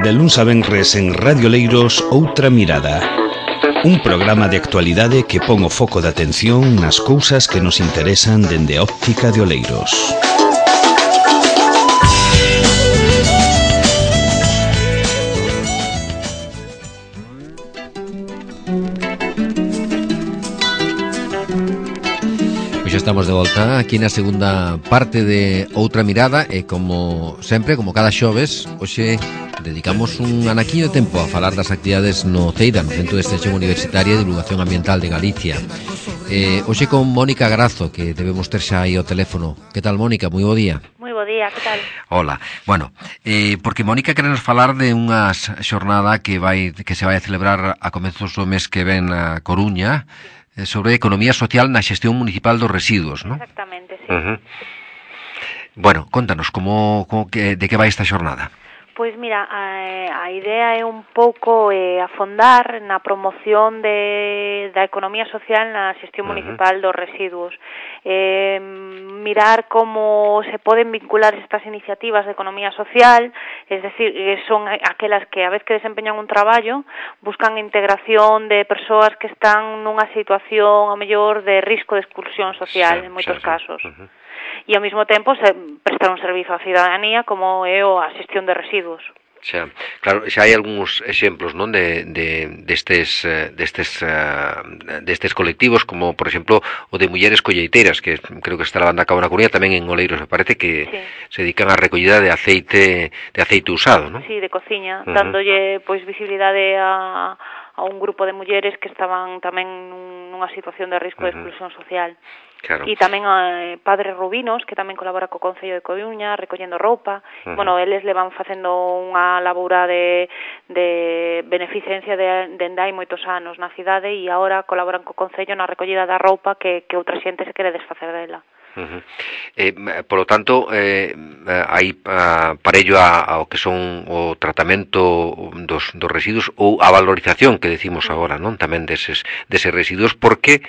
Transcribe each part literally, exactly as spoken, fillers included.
De luns a venres en Radio Leiros, Outra Mirada. Un programa de actualidade que pon o foco de atención nas cousas que nos interesan dende a óptica de Oleiros. Pois xa estamos de volta aquí na segunda parte de Outra Mirada e como sempre, como cada xoves, hoxe dedicamos un anaquiño de tempo a falar das actividades no CEIDA, no Centro de Extensión Universitaria e Divulgación Ambiental de Galicia. Eh, hoxe con Mónica Grazo, que debemos ter xa aí o teléfono. Que tal, Mónica? Moi bo día. Moi bo día, que tal? Hola. Bueno, eh, porque Mónica queremos falar de unha xornada que vai que se vai a celebrar a comezos do mes que ven na Coruña, sobre economía social na xestión municipal dos residuos, ¿no? Exactamente, sí. Uh-huh. Bueno, contanos, como, como que, de que vai esta xornada? Pois mira, a, a idea é un pouco eh, afondar na promoción de, da economía social na xestión uh-huh. municipal dos residuos. Eh, mirar como se poden vincular estas iniciativas de economía social, es decir, son aquelas que a vez que desempeñan un traballo buscan integración de persoas que están nunha situación a mellor de risco de exclusión social, sí, en moitos sí, casos. Uh-huh. E ao mesmo tempo se prestar un servizo á cidadanía como é a xestión de residuos. Xa, claro, xa hai algúns exemplos, non, de, de destes destes destes colectivos, como por exemplo o de mulleres colleiteiras, que creo que está levando a cabo na Coruña, tamén en Oleiros, me parece que sí. se dedican á recollida de aceite de aceite usado, non? Sí, de cociña, uh-huh. dándolle pois visibilidade a a un grupo de mulleres que estaban tamén nunha situación de risco uh-huh. de exclusión social. Claro. E tamén a eh, Padres Rubinos, que tamén colabora co Concello de Coruña, recollendo roupa. Uh-huh. Bueno, eles le van facendo unha labora de, de beneficencia de, de hai moitos anos na cidade e agora colaboran co Concello na recollida da roupa que, que outra xente se quere desfacer dela. Uh-huh. Eh, por lo tanto, eh, hai uh, parello a, ao que son o tratamento dos, dos residuos ou a valorización que decimos uh-huh. agora, non? Tamén deses, deses residuos, porque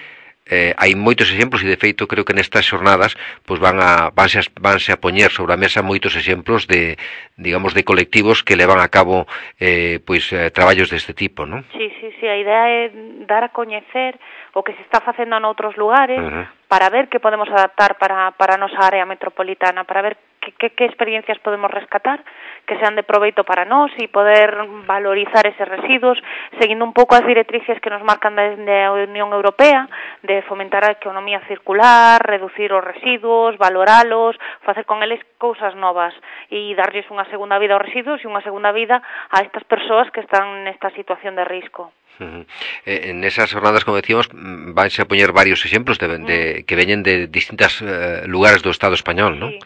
Eh, hai moitos exemplos e de feito creo que nestas xornadas pois van a vanse a, vanse a poñer sobre a mesa moitos exemplos de, digamos, de colectivos que levan a cabo eh, pois eh, traballos deste tipo, non? Sí, sí, sí, a idea é dar a coñecer o que se está facendo noutros lugares uh-huh. para ver que podemos adaptar para, para a nosa área metropolitana, para ver que, que, que experiencias podemos rescatar que sean de proveito para nós e poder valorizar eses residuos seguindo un pouco as directrices que nos marcan desde a Unión Europea de fomentar a economía circular, reducir os residuos, valoralos, facer con eles cousas novas e darlles unha segunda vida aos residuos e unha segunda vida a estas persoas que están nesta situación de risco. Uh-huh. Eh, en esas jornadas, como decíamos, vanse a poñer varios exemplos de, de, uh-huh. que veñen de distintos uh, lugares do Estado español, ¿no? Sí.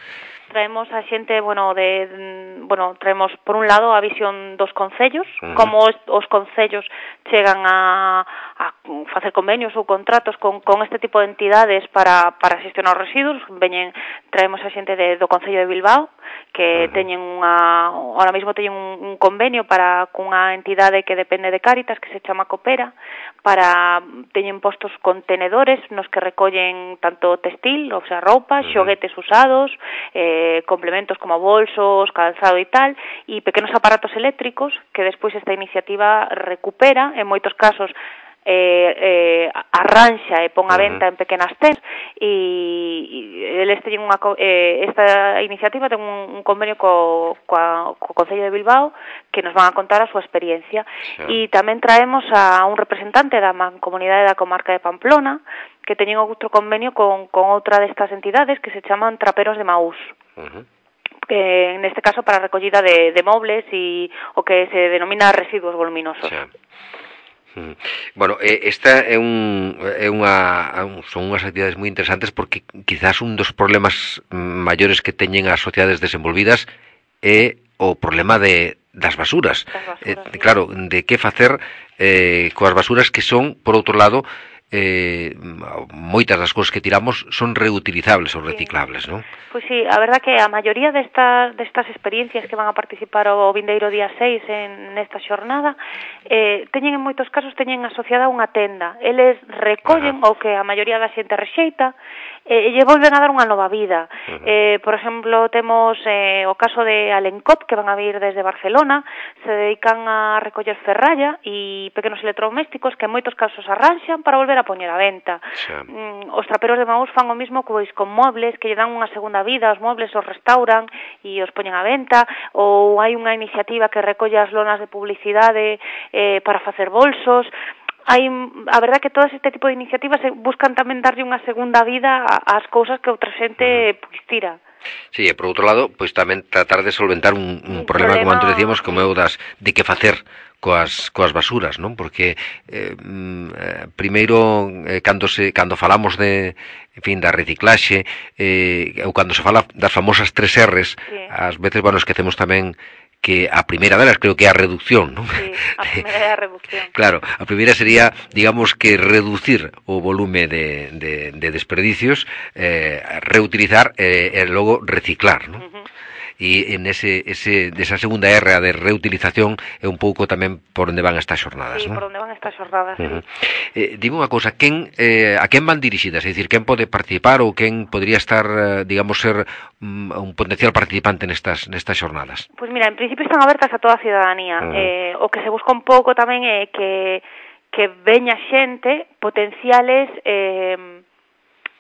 Traemos a xente, bueno, de bueno, traemos por un lado a visión dos concellos, uh-huh. como os, os concellos chegan a, a facer convenios ou contratos con, con este tipo de entidades para, para xestionar os residuos. Veñen, traemos a xente de, do Concello de Bilbao, que uh-huh. teñen unha, ahora mesmo teñen un, un convenio para cunha entidade que depende de Cáritas, que se chama Coopera, para teñen postos contenedores nos que recollen tanto textil, o sea, roupa, uh-huh. xoguetes usados, eh, complementos como bolsos, calzado e tal, e pequenos aparatos eléctricos que despois esta iniciativa recupera, en moitos casos eh, eh, arranxa e pon a venta en pequenas tendas e, e eles teñen unha, eh, esta iniciativa ten un, un convenio co, co, co Concello de Bilbao que nos van a contar a súa experiencia e tamén traemos a un representante da Mancomunidade da Comarca de Pamplona que teñen outro convenio con, con outra destas entidades que se chaman Traperos de Maús. Uh-huh. Que neste caso para a recollida de, de mobles e o que se denomina residuos voluminosos. Sí. Bueno, esta é un é unha son unhas actividades moi interesantes porque quizás un dos problemas maiores que teñen as sociedades desenvolvidas é o problema de das basuras. basuras eh, claro, de que facer eh, coas basuras que son, por outro lado, eh, moitas das cousas que tiramos son reutilizables ou reciclables, non? Pois sí, a verdad que a maioría destas, destas experiencias que van a participar o vindeiro día seis en nesta xornada eh, teñen en moitos casos teñen asociada unha tenda. Eles recollen o que a maioría da xente rexeita e lle volven a dar unha nova vida. Uh-huh. Eh, por exemplo, temos eh, o caso de Alencop, que van a vir desde Barcelona, se dedican a recoller ferralla e pequenos electrodomésticos que en moitos casos arranxan para volver a poñer a venta. Sí. Mm, os traperos de Maús fan o mismo pois con mobles, que lle dan unha segunda vida, os mobles os restauran e os poñen a venta, ou hai unha iniciativa que recolle as lonas de publicidade eh, para facer bolsos. Hai, a verdad que todo este tipo de iniciativas buscan tamén darlle unha segunda vida ás cousas que outra xente pois tira. Sí, e por outro lado, pois tamén tratar de solventar un, un, un problema, problema, como antes decíamos, como é o das de que facer coas coas basuras, non? Porque eh, eh, primeiro eh, cando se cando falamos de, en fin, da reciclaxe, eh, ou cando se fala das famosas tres R's, sí. Ás veces, bueno, esquecemos tamén que a primeira delas creo que é a reducción, non? Sí, a primeira é a reducción. Claro, a primeira sería, digamos, que reducir o volume de, de, de desperdicios, eh, reutilizar e eh, logo reciclar, non? Uh-huh. E en ese, ese, desa segunda R a de reutilización é un pouco tamén por onde van estas xornadas, sí, non? Sí, por onde van estas xornadas, uh-huh. sí. Eh, dime unha cousa, quen, eh, a quen van dirixidas? É dicir, quen pode participar ou quen podría estar, digamos, ser um, un potencial participante nestas, nestas xornadas? Pois mira, en principio están abertas a toda a ciudadanía. Uh-huh. Eh, o que se busca un pouco tamén é que, que veña xente, potenciales eh,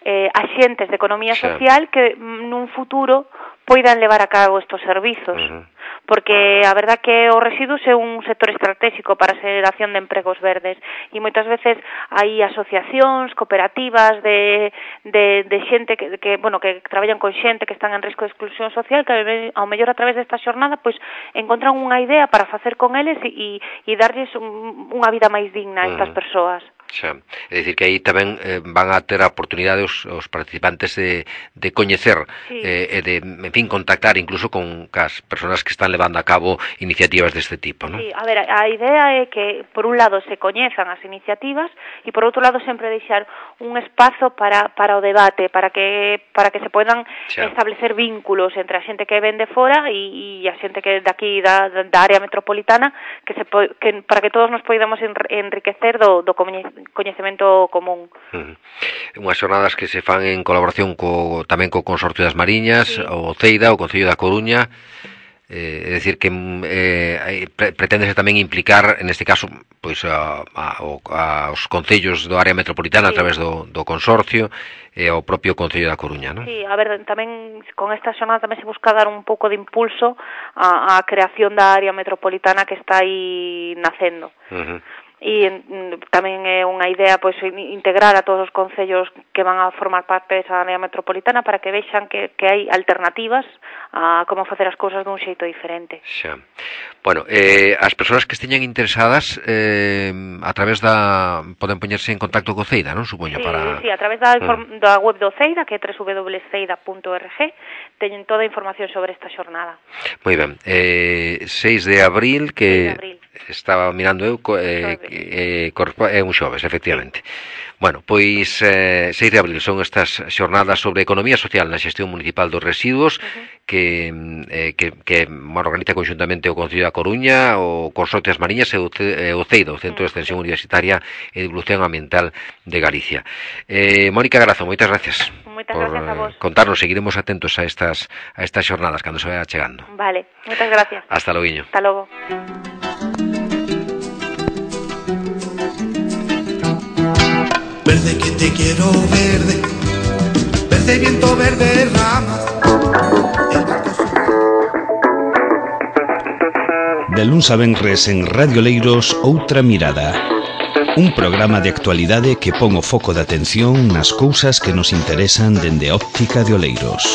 eh, axentes de economía social, sí. Que nun futuro poidan levar a cabo estos servizos. Uh-huh. Porque a verdad que os residuos é un sector estratégico para a xeración de empregos verdes e moitas veces hai asociacións, cooperativas de, de, de xente que, que, bueno, que traballan con xente que están en risco de exclusión social, que ao mellor a través desta xornada pois encontran unha idea para facer con eles e, e darlles un, unha vida máis digna a estas uh-huh. persoas. Xa. É dicir que aí tamén eh, van a ter a oportunidade os, os participantes de, de coñecer sí. eh, e de, en fin, contactar incluso con as persoas que están levando a cabo iniciativas deste tipo, non? Sí, a ver, a idea é que por un lado se coñezan as iniciativas e por outro lado sempre deixar un espazo para, para o debate, para que para que se poidan xa. Establecer vínculos entre a xente que ven de fora e, e a xente que de aquí da, da área metropolitana que se po, que, para que todos nos poidamos enriquecer do, do coñecemento común. Uh-huh. Unhas xornadas que se fan en colaboración co, tamén co Consorcio das Mariñas, sí. O Ceida, o Concello da Coruña. Eh, é dicir que eh, preténdese tamén implicar neste caso pois a, a, a, aos concellos do área metropolitana, sí. A través do, do consorcio e ao propio Concello da Coruña, non? Sí, a ver, tamén con esta xornada tamén se busca dar un pouco de impulso á, á creación da área metropolitana que está aí nacendo. Uh-huh. E tamén é unha idea pois integrar a todos os concellos que van a formar parte desa área metropolitana para que vexan que, que hai alternativas a como facer as cousas dun xeito diferente. Xa. Bueno, eh, as persoas que esteñan interesadas eh, a través da poden poñerse en contacto co Ceida, non? Supoño, sí, para... Sí, a través da, inform... da web do Ceida, que é doble u doble u doble u punto ceida punto org, teñen toda a información sobre esta xornada. Moi ben. Eh, seis de abril, que... seis de abril. Estaba mirando eu, eh, eh, é un xoves, efectivamente. Bueno, pois eh, seis de abril son estas xornadas sobre economía social na xestión municipal dos residuos, uh-huh. que, eh, que, que bueno, organiza conxuntamente o Concello da Coruña, o Consorcio das Mariñas e o, o CEIDA, o Centro de Extensión Universitaria e Divulgación Ambiental de Galicia. Eh, Mónica Grazo, moitas gracias. Moitas por gracias a vos. Contarnos, seguiremos atentos a estas a estas xornadas cando se vaya chegando. Vale, moitas gracias. Hasta logo. Hasta logo. Verde que te quiero verde, verde viento, verde ramas. De luns a venres en Radio Leiros, Outra Mirada. Un programa de actualidade que pon o foco de atención nas cousas que nos interesan dende a óptica de Oleiros.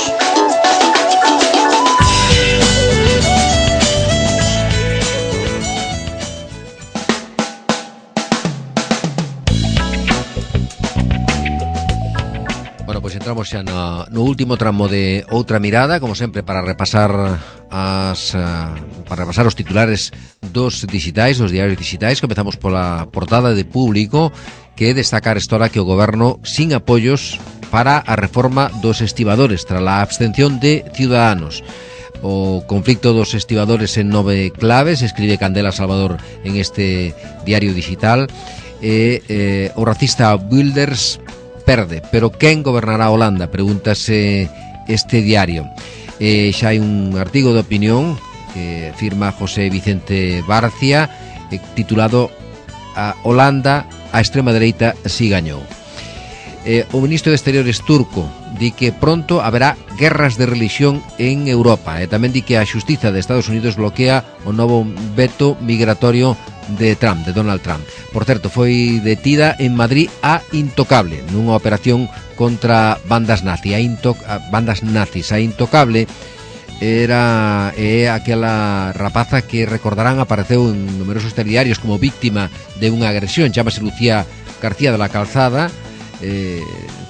Entramos xa no, no último tramo de Outra Mirada, como sempre, para repasar as uh, para repasar os titulares dos digitais, dos diarios digitais. Comezamos pola portada de Público, que destaca esta hora que o goberno sin apoios para a reforma dos estibadores tras a abstención de Ciudadanos. O conflicto dos estibadores en nove claves, escribe Candela Salvador en este diario digital. E eh, o racista Wilders perde, pero quen gobernará Holanda? Pregúntase este diario. Eh, xa hai un artigo de opinión que firma José Vicente Barcia, eh, titulado a Holanda, a extrema dereita si gañou. Eh, o ministro de Exteriores turco di que pronto haberá guerras de religión en Europa, e tamén di que a xustiza de Estados Unidos bloquea o novo veto migratorio de Trump, de Donald Trump. Por certo, foi detida en Madrid a Intocable nunha operación contra bandas nazi, a, into, a bandas nazis. A Intocable era é aquela rapaza que, recordarán, apareceu en numerosos telediarios como víctima de unha agresión. Chámase Lucía García de la Calzada, eh,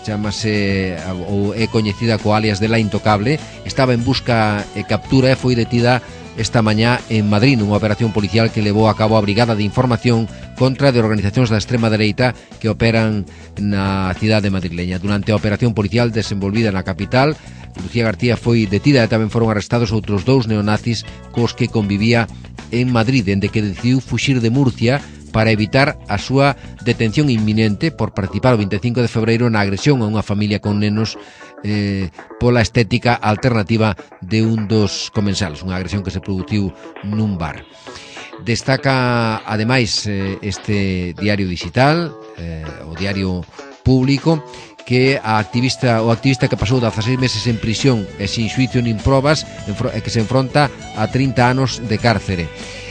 chámase ou é coñecida co alias de La Intocable. Estaba en busca e captura e foi detida esta mañá en Madrid nunha operación policial que levou a cabo a Brigada de Información contra de organizacións da extrema dereita que operan na cidade madrileña. Durante a operación policial desenvolvida na capital, Lucía García foi detida e tamén foron arrestados outros dous neonazis cos que convivía en Madrid, dende que decidiu fuxir de Murcia para evitar a súa detención inminente por participar o veinticinco de febreiro na agresión a unha familia con nenos eh, pola estética alternativa de un dos comensales, unha agresión que se produciu nun bar. Destaca, ademais, eh, este diario digital, eh, o diario público, que a activista o activista que pasou dezaseis meses en prisión e sin xuicio nin probas, e que se enfronta a trinta anos de cárcere.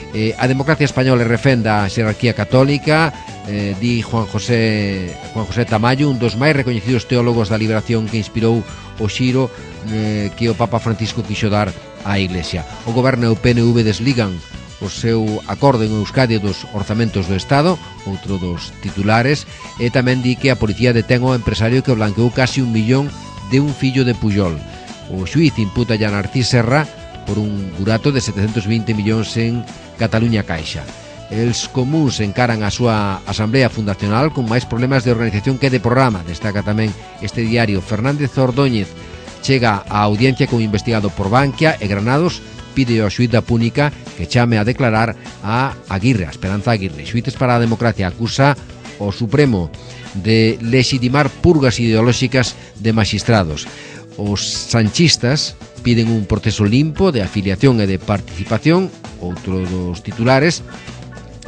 Eh, a democracia española refenda a xerarquía católica, eh, di Juan José Juan José Tamayo, un dos máis recoñecidos teólogos da liberación que inspirou o xiro eh, que o Papa Francisco quixo dar á Iglesia. O goberno e o P N V desligan o seu acordo en Euskadi dos orzamentos do Estado, outro dos titulares, e tamén di que a policía detén o empresario que blanqueou casi un millón de un fillo de Pujol. O xuíz imputa a Narcís Serra por un burato de setecentos vinte millóns en Cataluña Caixa. Els comuns encaran a súa asamblea fundacional con máis problemas de organización que de programa. Destaca tamén este diario. Fernández Ordóñez chega á audiencia como investigado por Bankia e Granados pide ao xuíz da Púnica que chame a declarar a Aguirre, a Esperanza Aguirre. Xuíces para a Democracia acusa o Supremo de legitimar purgas ideolóxicas de maxistrados. Os sanchistas piden un proceso limpo de afiliación e de participación, outro dos titulares,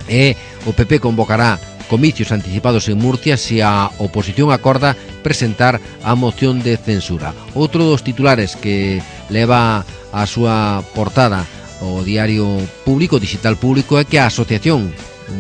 e o P P convocará comicios anticipados en Murcia se a oposición acorda presentar a moción de censura. Outro dos titulares que leva a súa portada o diario público, digital público, é que a asociación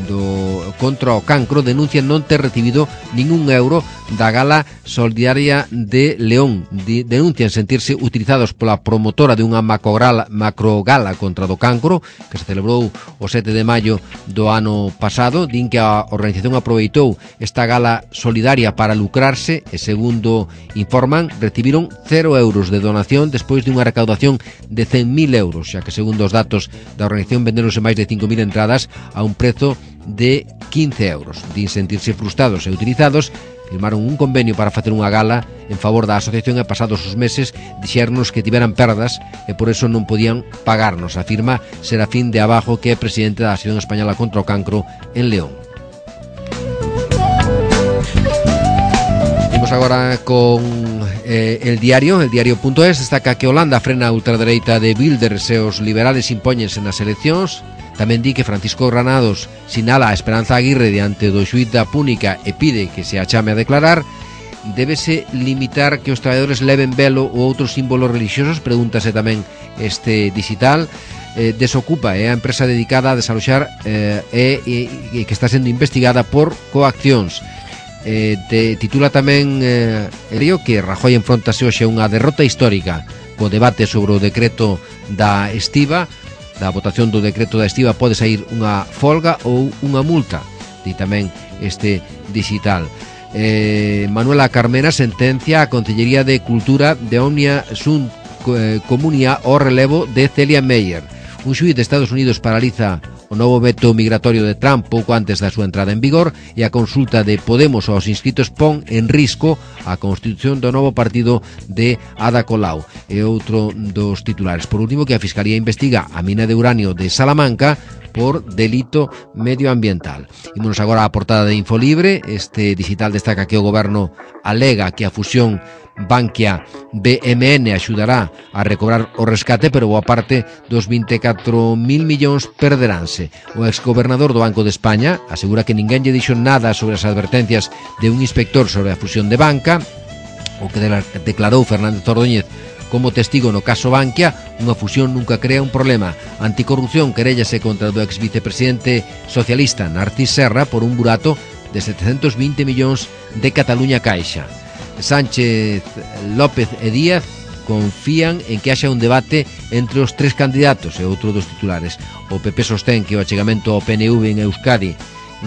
do contra o cancro denuncia non ter recibido ningún euro da gala solidaria de León. De, denuncian sentirse utilizados pola promotora de unha macrogala, macrogala contra do cancro que se celebrou o sete de maio do ano pasado. Din que a organización aproveitou esta gala solidaria para lucrarse e, segundo informan, recibiron cero euros de donación despois de unha recaudación de cen mil euros, xa que, segundo os datos da organización, venderonse máis de cinco mil entradas a un prezo de quince euros. Din sentirse frustrados e utilizados, firmaron un convenio para facer unha gala en favor da asociación e, pasados os meses, dixernos que tiveran perdas e por eso non podían pagarnos, afirma Serafín de Abajo, que é presidente da Asociación Española contra o Cancro en León. Vamos agora con eh, el diario, el diario.es. Destaca que Holanda frena a ultradereita de Wilders e os liberales impóñense nas eleccións. Tamén di que Francisco Granados sinala a Esperanza Aguirre diante do xuíz da Púnica e pide que se a chame a declarar. Débese limitar que os traballadores leven velo ou outros símbolos religiosos, pregúntase tamén este digital. Eh, Desocupa é a empresa dedicada a desaloxar eh, e, e, e que está sendo investigada por coaccións. Eh, te, titula tamén eh, el que Rajoy enfrontase hoxe unha derrota histórica co debate sobre o decreto da estiba. Da votación do decreto da estiba pode sair unha folga ou unha multa, di tamén este digital. eh, Manuela Carmena sentencia a Consellería de Cultura de Omnia Sunt Comunia o relevo de Celia Meyer. Un xuíz de Estados Unidos paraliza o novo veto migratorio de Trump pouco antes da súa entrada en vigor, e a consulta de Podemos aos inscritos pon en risco a constitución do novo partido de Ada Colau. é outro dos titulares. Por último, que a Fiscalía investiga a mina de uranio de Salamanca por delito medioambiental. Ímonos agora á portada de Infolibre. Este digital destaca que o goberno alega que a fusión Bankia-B M N axudará a recobrar o rescate, pero boa parte dos vinte e catro mil millóns perderánse. O exgobernador do Banco de España asegura que ninguén lle dixo nada sobre as advertencias de un inspector sobre a fusión de Banca, o que declarou Fernández Ordóñez como testigo no caso Bankia. Unha fusión nunca crea un problema. Anticorrupción queréllase contra o ex vicepresidente socialista Narcís Serra por un burato de setecentos vinte millóns de Cataluña Caixa. Sánchez, López e Díaz confían en que haxa un debate entre os tres candidatos, e outro dos titulares. O P P sostén que o achegamento ao P N V en Euskadi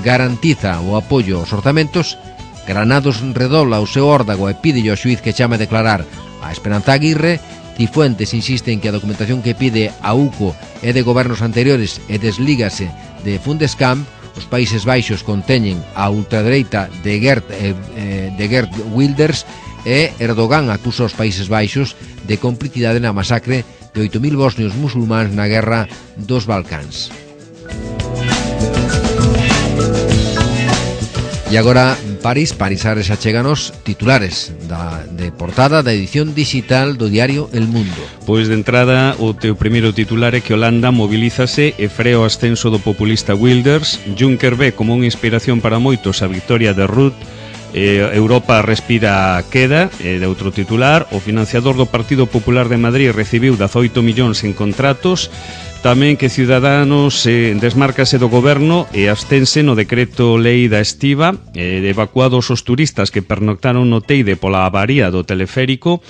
garantiza o apoio aos orzamentos. Granados redobla o seu órdago e pide ao xuíz que chame a declarar a Esperanza Aguirre. Cifuentes insiste en que a documentación que pide a U C O é de gobernos anteriores e deslígase de Fundescam. Os Países Baixos conteñen a ultradereita de Geert, eh, de Geert Wilders, e Erdogan acusa os Países Baixos de complicidade na masacre de oito mil bosnios musulmáns na guerra dos Balcáns. E agora París, Parisares achéganos titulares da, de portada da edición digital do diario El Mundo. Pois de entrada o teu primeiro titular é que Holanda mobilízase e frea o ascenso do populista Wilders. Juncker ve como unha inspiración para moitos a victoria de Rutte. eh, Europa respira queda, eh, de outro titular. O financiador do Partido Popular de Madrid recibiu dezaoito millóns en contratos. Tamén que Ciudadanos eh, desmárcase do goberno e abstense no decreto lei da estiba, eh, evacuados os turistas que pernoctaron no Teide pola avaría do teleférico.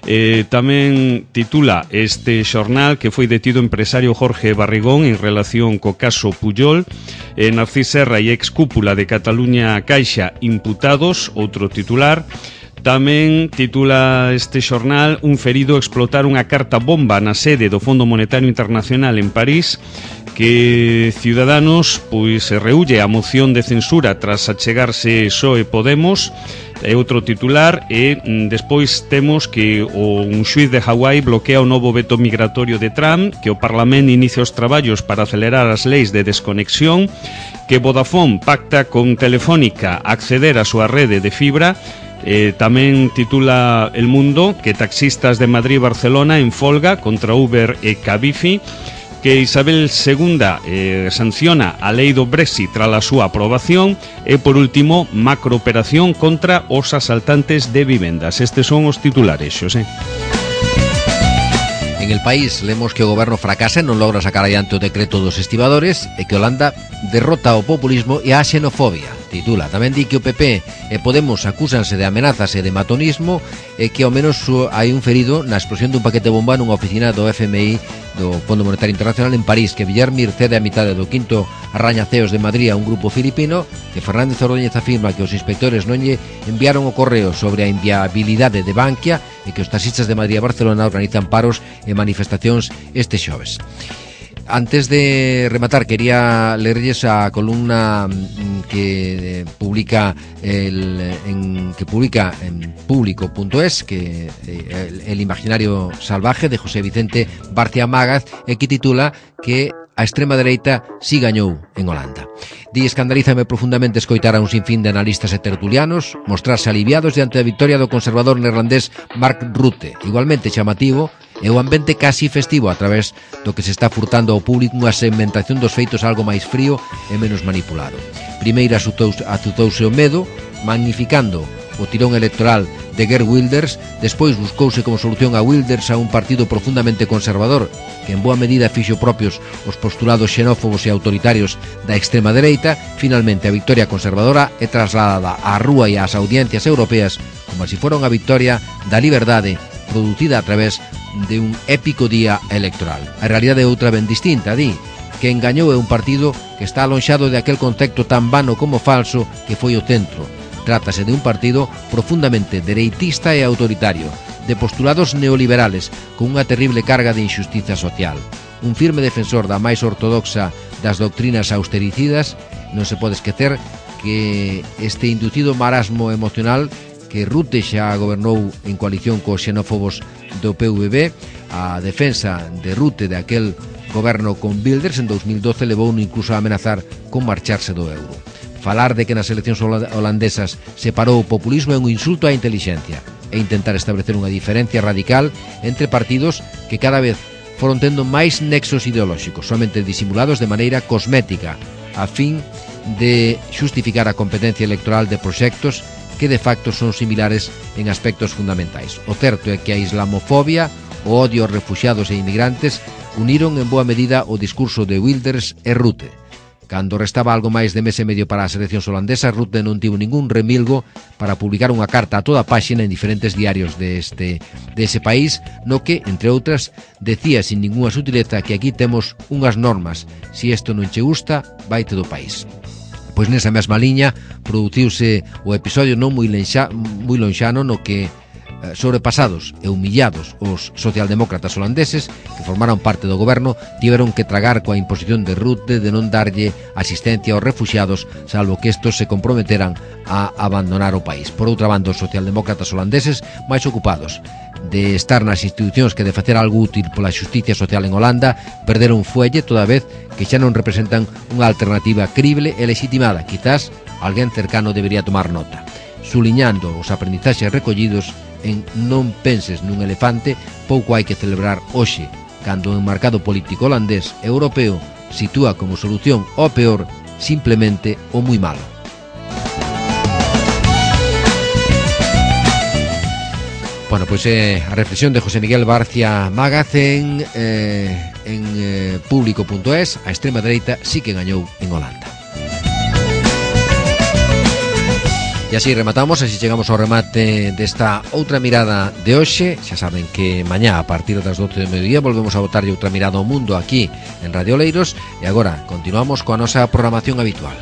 Eh, tamén titula este xornal que foi detido o empresario Jorge Barrigón en relación co caso Pujol. eh, Narcís Serra e ex cúpula de Cataluña Caixa imputados, outro titular. Tamén titula este xornal: un ferido explotar unha carta bomba na sede do Fondo Monetario Internacional en París. Que Ciudadanos pois se reúlle a moción de censura tras achegarse P S O E Podemos. É outro titular. E despois temos que o, un xuíz de Hawái bloquea o novo veto migratorio de Trump, que o Parlamento inicia os traballos para acelerar as leis de desconexión, que Vodafone pacta con Telefónica acceder á súa rede de fibra. Eh, tamén titula El Mundo que taxistas de Madrid e Barcelona en folga contra Uber e Cabify. Que Isabel segunda eh, sanciona a lei do Brexit tras a súa aprobación. E por último, macrooperación contra os asaltantes de vivendas. Estes son os titulares, Xosé. En El País lemos que o goberno fracasa e non logra sacar adiante o decreto dos estibadores, e que Holanda derrota o populismo e a xenofobia. Titula. Tamén di que o P P e Podemos acúsanse de amenazas e de matonismo, e que ao menos hai un ferido na explosión dun paquete bomba nunha oficina do F M I, do Fondo Monetario Internacional en París. Que Villarmir cede a mitade do quinto arrañaceos de Madrid a un grupo filipino. Que Fernández Ordóñez afirma que os inspectores non lle enviaron o correo sobre a inviabilidade de Bankia, e que os taxistas de Madrid e Barcelona organizan paros e manifestacións este xoves. Antes de rematar, quería leerles a columna que publica el, en, que publica en público punto es, que el, el imaginario salvaje, de José Vicente Barcia Mágaz, e que titula que a extrema dereita si gañou en Holanda. Di: escandalízame profundamente escoitar a un sinfín de analistas e tertulianos mostrarse aliviados diante da victoria do conservador neerlandés Mark Rutte. Igualmente chamativo é o ambiente casi festivo a través do que se está furtando ao público unha segmentación dos feitos algo máis frío e menos manipulado. Primeiro azutouse o medo, magnificando o tirón electoral de Geert Wilders. Despois buscouse como solución a Wilders a un partido profundamente conservador, que en boa medida fixo propios os postulados xenófobos e autoritarios da extrema dereita. Finalmente a victoria conservadora é trasladada á rúa e ás audiencias europeas como se fora unha victoria da liberdade producida a través de un épico día electoral. A realidade é outra ben distinta, di, que engañou é un partido que está alonxado de aquel concepto tan vano como falso que foi o centro. Trátase de un partido profundamente dereitista e autoritario, de postulados neoliberales con unha terrible carga de injustiza social. Un firme defensor da máis ortodoxa das doctrinas austericidas. Non se pode esquecer que este inducido marasmo emocional que Rutte xa gobernou en coalición cos xenófobos do P V B. A defensa de Rutte de aquel goberno con Wilders en dos mil doce levou incluso a amenazar con marcharse do euro. Falar de que nas eleccións holandesas se parou o populismo é un insulto á intelixencia e intentar establecer unha diferencia radical entre partidos que cada vez foron tendo máis nexos ideolóxicos, somente disimulados de maneira cosmética, a fin de xustificar a competencia electoral de proxectos que de facto son similares en aspectos fundamentais. O certo é que a islamofobia, o odio aos refuxiados e inmigrantes uniron en boa medida o discurso de Wilders e Rutte. Cando restaba algo máis de mes e medio para as eleccións holandesas, Rutte non tivo ningún remilgo para publicar unha carta a toda a páxina en diferentes diarios deste, dese país, no que, entre outras, decía sin ninguna sutileza que aquí temos unhas normas, si isto non che gusta, vaite do país. Pois nesa mesma liña produciuse o episodio non moi, lenxa, moi lonxano no que sobrepasados e humillados os socialdemócratas holandeses que formaron parte do goberno tiveron que tragar coa imposición de Rutte de non darlle asistencia aos refuxiados salvo que estos se comprometeran a abandonar o país. Por outra banda, os socialdemócratas holandeses máis ocupados de estar nas institucións que de facer algo útil pola xusticia social en Holanda perderon fuelle toda vez que xa non representan unha alternativa crible e legitimada. Quizás alguén cercano debería tomar nota, suliñando os aprendizaxes recollidos en Non penses nun elefante. Pouco hai que celebrar hoxe, cando o enmarcado político holandés e europeo sitúa como solución ao peor simplemente o moi malo. Bueno, pois é a reflexión de José Miguel Barcia Magacén eh, en eh, público punto es. A extrema dereita sí que gañou en Holanda. E así rematamos, así chegamos ao remate desta outra mirada de hoxe. Xa saben que mañá a partir das doce do mediodía volvemos a botarlle outra mirada ao mundo aquí en Radio Oleiros. E agora continuamos coa nosa programación habitual.